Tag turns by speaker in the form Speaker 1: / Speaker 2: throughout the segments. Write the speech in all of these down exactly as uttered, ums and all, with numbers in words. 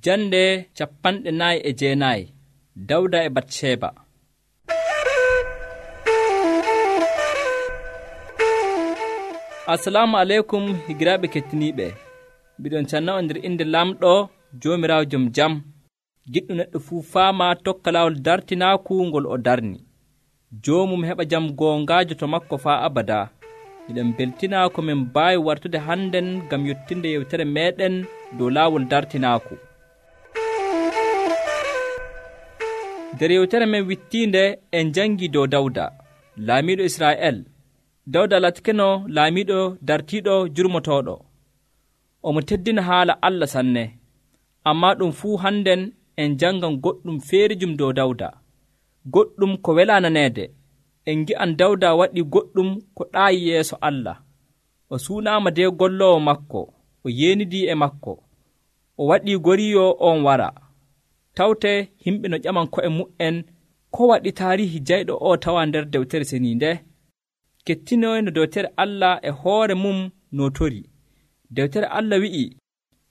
Speaker 1: Jande capanɗe nayi e jeenayi. Dawda e Batsheba. Assalamu aleykum higiraaɓe kettiniiɓe. Mbiɗon canna nder inde lamɗo Joomiraawo jom jam. Giɗɗo neɗɗo fuu faama tokka laawol dartinaaku ngol o darni. Joomum heɓa jam goongaajo to makko faa abada. Miɗen beltinaa ko min mbaawi wartude hannden ngam yottinde yewtere meeɗen dow laawol dartinaaku. Nder yewtere men wittiinde en jangii dow Dawda, laamiiɗo Israa'el. Dawda latikeno laamiiɗo dartiiɗo jurmotooɗo. Omo teddina haala Allah sanne. Ammaa ɗum fuu hannden en jangan goɗɗum feerijum dow Dawda. Goɗɗum ko welaa naneede. En ngi'an Dawda waɗii goɗɗum ko ɗaayi yeeso Allah. O suunaama de golloowo makko. O yeenidii e makko. O waɗii goriyo on wara. Tawte himɓe no ƴaman ko'e mu'en ko waɗi taarihi jayɗo o tawa nder dewtere seniinde. Kettinoy no dewtere Allah e hoore mum nootori. Dewtere Allah wi'i,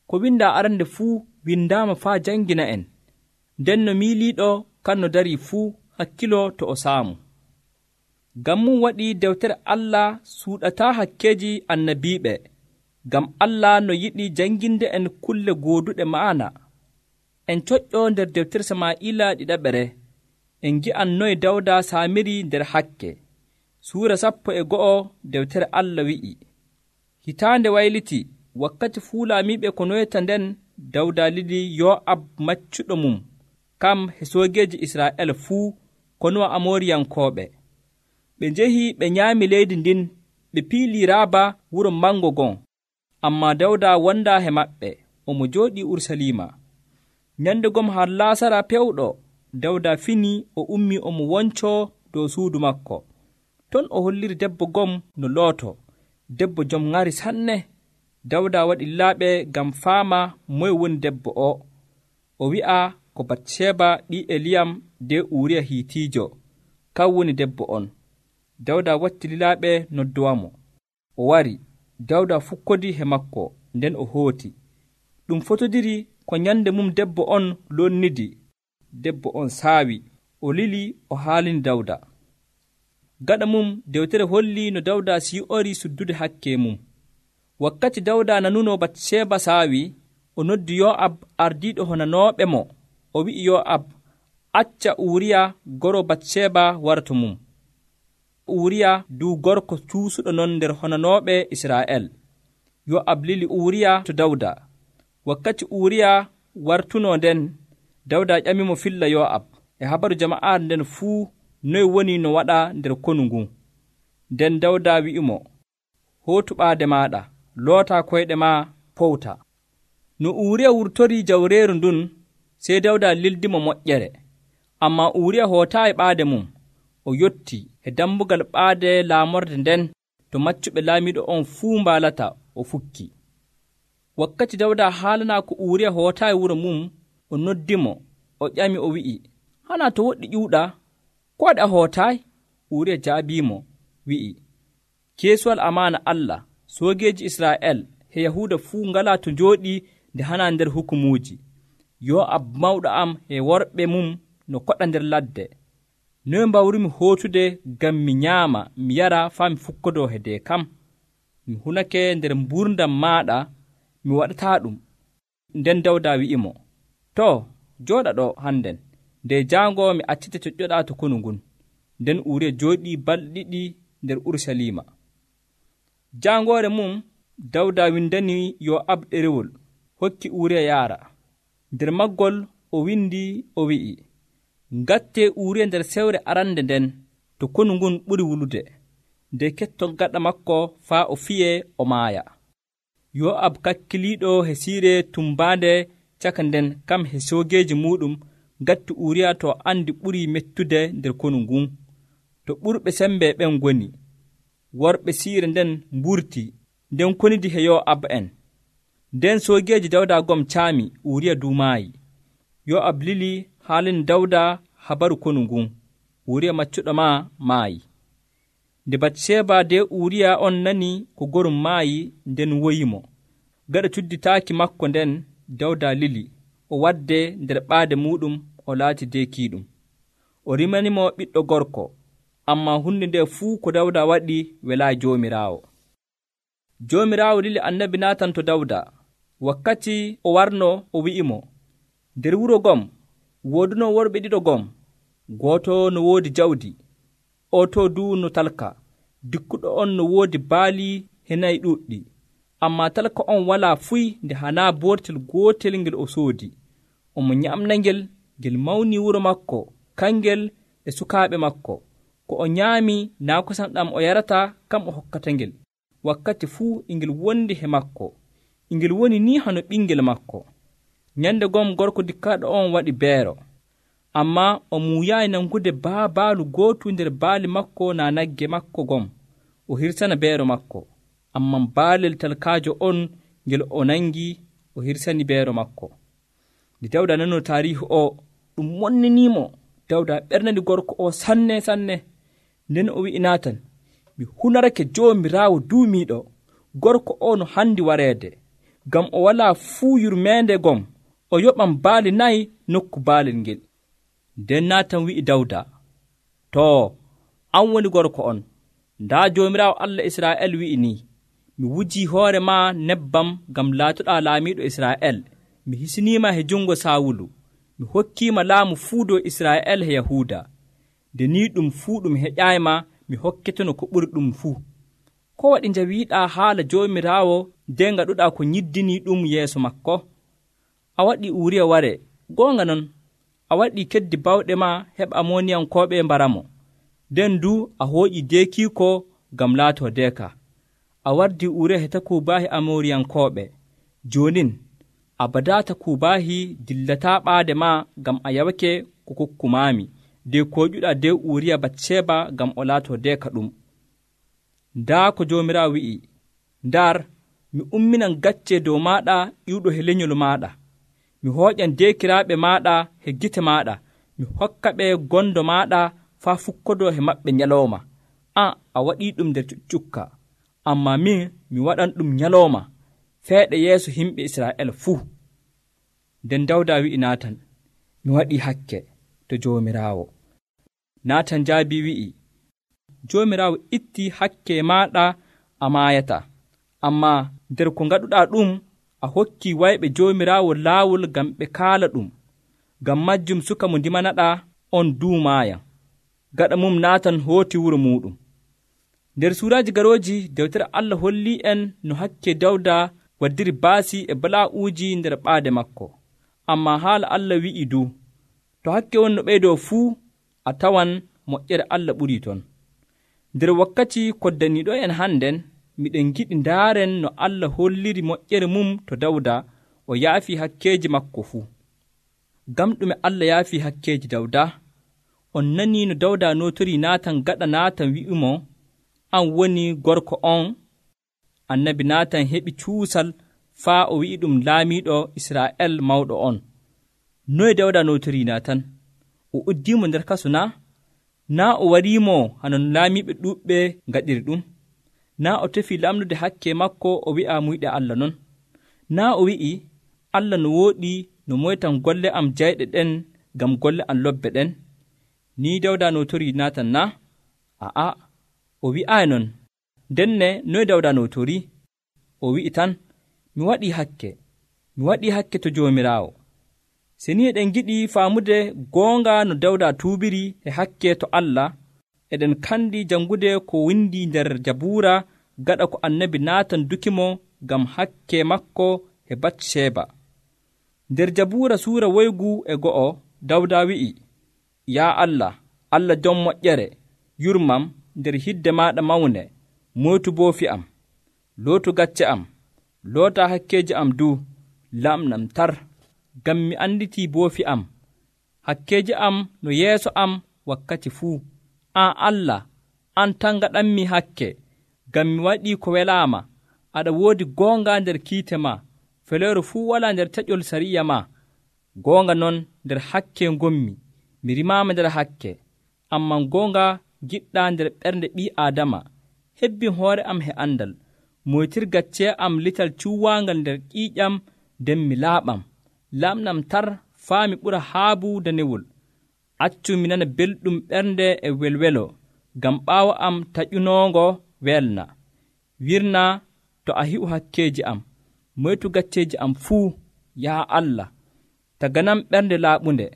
Speaker 1: ko windaa arande fuu windaama faa jangina en. Nden no miiliiɗo kan no darii fuu hakkilo to o saamu. Ngam mum waɗi dewtere Allah suuɗataa hakkeeji annabiiɓe, ngam Allah no yiɗi janginde en kulle gooduɗe ma'ana. En coƴƴo nder dewtere Samaa'ila ɗiɗaɓere, en ngi'an noye Dawda saamiri nder hakke. Suura sappo e go'o dewtere Allah wi'i, hitaande wayliti, wakkati fuu laamiiɓe ko noyta nden Dawda lili Yo'ab maccuɗo mum, kam he soogeeji Israa'el fuu konuwa Amooriyankooɓe. Ɓe njehi ɓe nyaami leydi ndin, ɓe piilii Raaba wuro mango gon. Ammaa Dawda wondaa he maɓɓe, omo jooɗii Urusalima. Nyande gom har laasara pewɗo, Dawda fini o ummi omo woncoo dow suudu makko. Ton o holliri debbo gom no looto, debbo jom ŋari sanne. Dawda waɗi laaɓe ngam faama moye woni debbo o. O wi'a ko Batsheba ɗi Eliyam de Uuriya Hiitiijo, kan woni debbo on. Dawda watti lilaaɓe noddowamo. O wari, Dawda fukkodi he makko, nden o hooti. Ɗum fotodiri ko nyande mum debbo on lonnidi. Debbo on saawi, o lili o haalini Dawda. Gaɗa mum dewtere holli no Dawda sii'ori suddude hakke mum. Wakkati Dawda nanuno Batsheba saawi, o noddi Yo'ab ardiiɗo honanooɓe mo. O wi'i Yo'ab, acca Uuriya goro Batsheba warto mum. Uuriya du gorko cuusuɗo non nder honanooɓe Israa'el. Yo'ab lili Uuriya to Dawda. Wakkati Uuriya wartuno nden, Dawda ƴamimo filla Yo'ab e habaru jama'aare nden fuu noye woni no waɗa nder konu ngun. Nden Dawda wi'imo, hootu ɓaade maaɗa, loota koyɗe ma powta. No Uuriya wurtorii jawreeru ndun, sey Dawda lildimo moƴƴere. Ammaa Uuriya hootaayi ɓaade mum. O yotti e dambugal ɓaade laamorde nden to maccuɓe laamiiɗo on fuu mbaalata, o fukki. Wakkati Dawda haalanaa ko Uuriya hootaayi wuro mum, o noddimo, o ƴami o wi'i, hana to woɗɗi ƴuuɗa, ko waɗi a hootaayi? Uuriya jaabiimo, wi'i, keesuwal amaana Allah, soogeeji Israa'el he Yahuuda fuu ngalaa to njooɗii nde hana nder hukumuuji. Yo'ab mawɗo am e worɓe mum no koɗa nder ladde. Noye mbawrumi hootude ngam mi nyaama, mi yara faa mi fukkodoo hede kam? Mi hunake nder mburdam maaɗa, mi waɗataa ɗum. Nden Dawda wi'imo, to, jooɗa ɗo hannden, nde jaango mi accite coƴƴoɗaa to konu ngun. Nden Uuriya jooɗii balɗe ɗiɗi nder Urusalima. Jaangoore mum, Dawda windani Yo'ab ɗerewol, hokki Uuriya yaara. Nder maggol o windi o wi'i, ngattee Uuriya nder sewre arande nden to konu ngun ɓuri wulude, nde ketton gaɗa makko faa o fiye o maaya. Yo'ab kakkiliiɗo he siire tumbaande caka nden kam he soogeeji muɗum ngatti Uuriya to andi ɓurii mettude nder konu ngun, to ɓurɓe sembe ɓen ngoni. Worɓe siire nden mburti, nden konidi he Yo'ab en. Nden soogeeji Dawda gom caami, Uuriya duumaayi. Yo'ab lili haalin Dawda habaru konu ngun. Uuriya maccuɗo ma maayi. Nde Batsheba de Uuriya on nani ko gorum maayi, nden woyimo. Gaɗa cudditaaki makko nden, Dawda lili, o wadde nder ɓaade muɗum o laati deekiiɗum. O rimanimo ɓiɗɗo gorko, ammaa hunde nde fuu ko Dawda waɗi welaayi Joomiraawo. Joomiraawo lili annabi Naatan to Dawda wakkati o warno o wi'imo, nder wuro gom wooduno worɓe ɗiɗo gom, gooto no woodi jawdi, o to du no talka, dikkuɗo on no woodi baali he nayi ɗuuɗɗi, ammaa talka on walaa fuy nde hanaa boortel gootel ngel o soodi. Omo nyamna ngel, ngel mawni wuro makko, kangel e sukaaɓe makko. Ko o nyaami naa kosam ɗam o yarata kam o hokkata ngel. Wakkati fuu ingel wondi he makko, ingel woni ni hano ɓingel makko. Nyande gom gorko dikkaaɗo on waɗi beero, ammaa o muuyaayi nangude baabaalu gootu nder baali makko naa nagge makko gom o hirsana beero makko. Ammaa baalel talkaajo on ngel o nangi o hirsani beero makko. Nde Dawda nanoo taariihu o, ɗum wonniniimo. Dawda ɓernani gorko o sanne sanne. Nden o wi'i Naatan, mi hunarake Joomiraawo duumiiɗo, gorko o no handi wareede, ngam o walaa fuu yurmeende gom, o yoɓan baali nayi nokku baalel ngel. Nden Naatan wi'i Dawda, too, an woni gorko on. Ndaa Joomiraawo Allah Israa'el wi'i nii, mi wujii hoore maa nebbam ngam laatoɗaa laamiiɗo Israa'el. Mi hisiniima he jungo Saawulu. Mi hokkiima laamu fuu dow Israa'el he Yahuuda. Nde nii ɗum fuu ɗum heƴaayma, mi hokketono ko ɓuri ɗum fuu. Ko waɗi njawiiɗaa haala Joomiraawo nden ngaɗuɗaa ko nyiddinii ɗum yeeso makko? A waɗii Uuriya ware, goonga non, a waɗii keddi bawɗe maa heɓa Amoniyankooɓe mbaramo. Nden du a hooƴii deekiiko ngam laatoo deeka. A wardii Uuriya he takuubaahi Amoriyankooɓe. Joonin a badaa takuubaahi dillataa ɓaade maa ngam a yawake ko kokkumaami, de kooƴuɗaa de Uuriya Batseeba ngam o laatoo deeka ɗum. Ndaa ko Joomiraawo wi'i, ndar mi umminan gacce dow maaɗa iwɗo he lenyol maaɗa. Mi hooƴan deekiraaɓe maaɗa he gite maaɗa, mi hokka ɓe gondo maaɗa faa fukkodoo he maɓɓe nyalooma. An a waɗii ɗum nder cuccukka, ammaa min mi waɗan ɗum nyalooma feeɗe yeeso yimɓe Israa'el fuu. Nden Dawda wi'i Naatan, mi waɗii hakke to Joomiraawo. Naatan jaabii wi'i, Joomiraawo ittii hakke maaɗa a maayata, ammaa nder ko ngaɗuɗaa ɗum a hokkii wayɓe Joomiraawo laawol ngam ɓe kaala ɗum. Ngam majjum suka mo ndimanaɗaa on duu maaya. Gaɗa mum Naatan hooti wuro muuɗum. Nder suuraaji garooji dewtere Allah hollii en no hakke Dawda waddiri baasi e balaa'uuji nder ɓaade makko. Ammaa haala Allah wi'i du, to hakke won no ɓeydoo fuu, a tawan moƴƴere Allah ɓurii ton. Nder wakkati koddaniiɗo en hannden, miɗen giɗi ndaaren no Allah holliri moƴƴere mum to Dawda o yaafii hakkeeji makko fuu. Ngam ɗume Allah yaafii hakkeeji Dawda? On nanii no Dawda nootorii Naatan gaɗa Naatan wi'imo, an woni gorko on. Annabi Naatan heɓi cuusal faa o wi'i ɗum laamiiɗo Israa'el mawɗo on. Noye Dawda nootorii Naatan? O uddiimo nder kasu naa? Naa o wariimo hano laamiiɓe ɗuuɓɓe ngaɗiri ɗum? Naa o tefii lamnude hakke makko o wi'a muyɗe Allah non? Naa o wi'i, Allah no wooɗi no moytan golle am jayɗe ɗen ngam golle am lobbe ɗen? Nii Dawda nootorii Naatan naa? A'a, o wi'aayi non. Ndenne noye Dawda nootorii? O wi'i tan, mi waɗii hakke, mi waɗii hakke to Joomiraawo. Se ni eɗen giɗi faamude goonga no Dawda tuubiri e hakke to Allah, eɗen kandi jangude ko windi nder Jabuura gaɗa ko annabi Naatan dukimo ngam hakke makko e Batseeba. Nder Jabuura suura woygu e go'o, Dawda wi'i, yaa Allah, Allah jom moƴƴere, yurmam nder hidde maaɗa mawne, moytu boofi am, lootu gacce am, loota hakkeeji am du, lamnam tar, ngam mi anditii boofi am, hakkeeji am no yeeso am wakkati fuu. An Allah, an tan gaɗanmi hakke, ngam mi waɗii ko welaama, aɗa woodi goonga nder kiite ma, feleero fuu walaa nder taƴol sariya ma. Goonga non nder hakke ngommi, mi rimaama nder hakke, amman goonga giɗɗaa nder ɓernde ɓii Aadama. Hebbin hoore am he andal, moytir gacce am lital cuuwaangal nder ƴiiƴam, nden mi laaɓam. lamnam tar faa mi ɓura haabu danewol. Accu mi nana belɗum ɓernde e welwelo, ngam ɓaawo am taƴunoongo welna. Wirna to a hi'u hakkeeji am, moytu gacceeji am fuu, yaa Allah. Taganam ɓernde laaɓunde,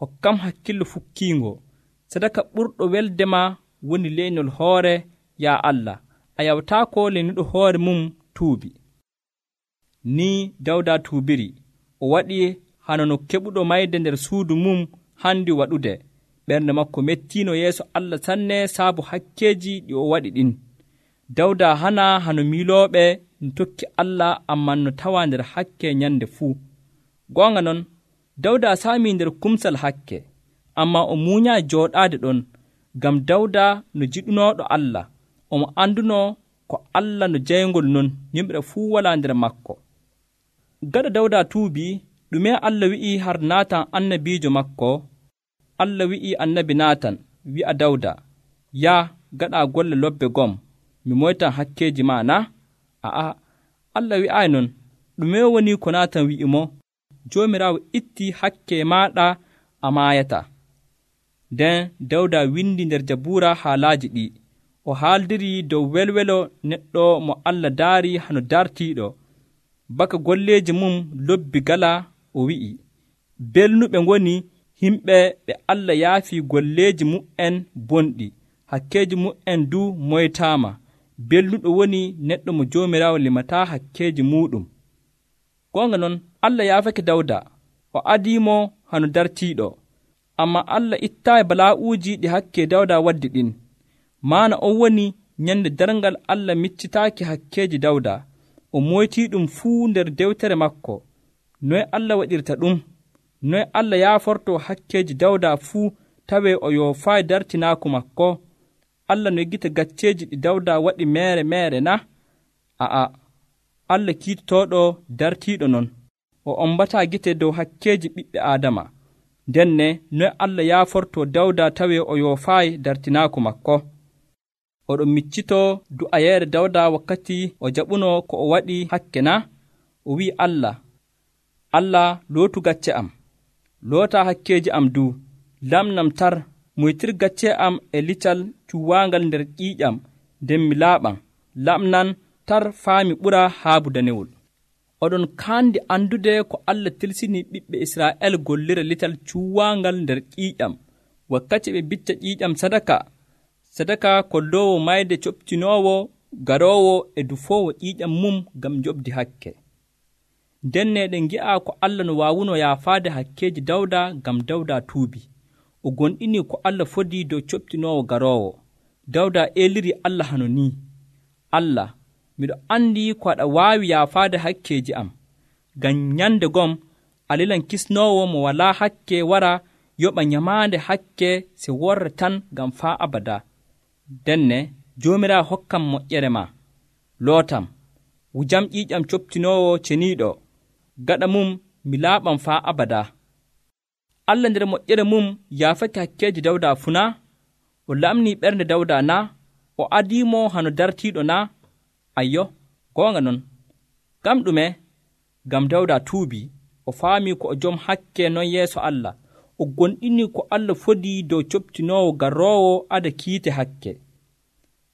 Speaker 1: hokkam hakkillo fukkiingo. Sadaka ɓurɗo weldema woni leynol hoore, yaa Allah. A yawtaako leynuɗo hoore mum tuubi. Ni Dawda tuubiri, o waɗi hano no keɓuɗo mayde nder suudu mum handi waɗude. Ɓernde makko mettiino yeeso Allah sanne saabu hakkeeji ɗi o waɗi ɗin. Dawda hana hano miilooɓe no tokki Allah, amman no tawa nder hakke nyande fuu. Goonga non, Dawda saami nder kumsal hakke, amma o muuñaa jooɗaade ɗon, ngam Dawda no jiɗunooɗo Allah, omo anduno ko Allah no jayngol non, yimɓe fuu walaa nder makko. Gaɗa Dawda tuubi, ɗume Allah wi'i har Naatan annabiijo makko? Allah wi'i annabi Naatan wi'a Dawda, yaa gaɗa golle lobbe gom, mi moytan hakkeeji ma na? A'a, Allah wi'ayi non. Ɗume woni ko Naatan wi'i mo? Joomiraawo itti hakke maaɗa a maayata. Nden Dawda windi nder Jabuura haalaaji ɗi. O haaldiri dow welwelo neɗɗo mo Allah daari hano dartiiɗo. Baka golleeji mum lobbi gala, o wi'i, belnuɓe ngoni himɓe ɓe Allah yaafi golleeji mu'en bonɗi, hakkeeji mu'en du moytaama. Belnuɗo woni neɗɗo mo Joomiraawo limataa hakkeeji muɗum. Goonga non, Allah yaafake Dawda, o adiimo hano dartiiɗo. Amma Allah ittaayi balaa'uuji ɗi hakke Dawda waddi ɗin. Maana on woni nyande darngal Allah miccitaaki hakkeeji Dawda. O moytii ɗum fuu nder dewtere makko. Noye Allah waɗirta ɗum? Noye Allah yaaforto hakkeeji Dawda fuu tawee o yoofaayi dartinaaku makko? Allah no yeggita gacceeji ɗi Dawda waɗi meere meere na? A'a, Allah kiitotooɗo dartiiɗo non. O ombataa gite dow hakkeeji ɓiɓɓe Aadama. Ndenne noye Allah yaaforto Dawda tawee o yoofaayi dartinaaku makko? Oɗon miccitoo du'ayeere Dawda wakkati o jaɓuno ko o waɗi hakke na? O wi'i Allah, Allah lootu gacce am, loota hakkeeji am du, lamnam tar, moytir gacce am e lical cuwaangal nder ƴiiƴam, nden mi laaɓan, lamnan tar faa mi ɓura haabu danewol. Oɗon kaandi andude ko Allah tilsini ɓiɓɓe Israa'el gollira lital cuwaangal nder ƴiiƴam, wakkati ɓe bicca ƴiiƴam sadaka, sadaka kolloowo mayde coɓtinoowo garoowo e dufoowo ƴiiƴam mum ngam joɓdi hakke. Ndenne ɗen ngi'a ko Allah no waawuno yaafaade hakkeeji Dawda ngam Dawda tuubi. O gonɗini ko Allah fodii dow coɓtinoowo garoowo. Dawda eeliri Allah hano ni, Allah, miɗo anndi ko aɗa waawi yaafaade hakkeeji am. Ngam nyande gom a lilan kisnoowo mo walaa hakke wara yoɓa nyamaande hakke se worre tan ngam faa abada. Denne Joomiraawo hokkam moƴƴere ma, lootam, wujam ƴiiƴam coɓtinoowo ceniiɗo, gaɗa mum mi laaɓam faa abada. Allah nder moƴƴere mum yaafake hakkeeji Dawda funa, o lamnii ɓernde Dawda na, o adiimo hano dartiiɗo na? Ayyo, goonga non. Ngam ɗume? Ngam Dawda tuubi, o faami ko o jom hakke non yeeso Allah, o gonɗini ko Allah fodii dow coɓtinoowo garoowo ada kiite hakke.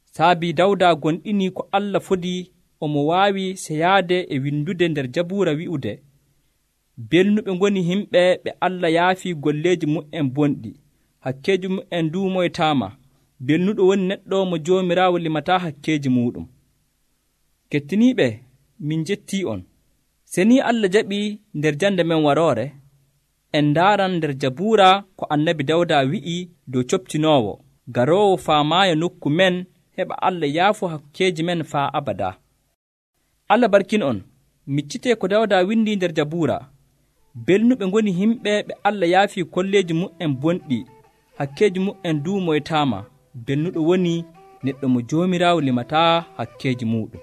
Speaker 1: Saabi Dawda gonɗini ko Allah fodii, omo waawi seyaade e windude nder Jabuura wi'ude, belnuɓe ngoni himɓe ɓe Allah yaafi golleeji mu'en bonɗi, hakkeeji mu'en du moytaama. Belnuɗo woni neɗɗo mo Joomiraawo limataa hakkeeji muɗum. Kettiniiɓe, min jettii on. Se ni Allah jaɓii nder jande men waroore, en ndaaran nder Jabuura ko annabi Dawda wi'i dow coɓtinoowo garoowo faamaayo nokku men, heɓa Allah yaafu hakkeeji men faa abada. Allah barkin on, miccitee ko Dawda windi nder Jabuura. Belnuɓe ngoni himɓe ɓe Allah yaafi kolleeji mu'en bonɗi, hakkeeji mu'en du moytaama. Belnuɗo woni neɗɗo mo Joomiraawo limataa hakkeeji muɗum.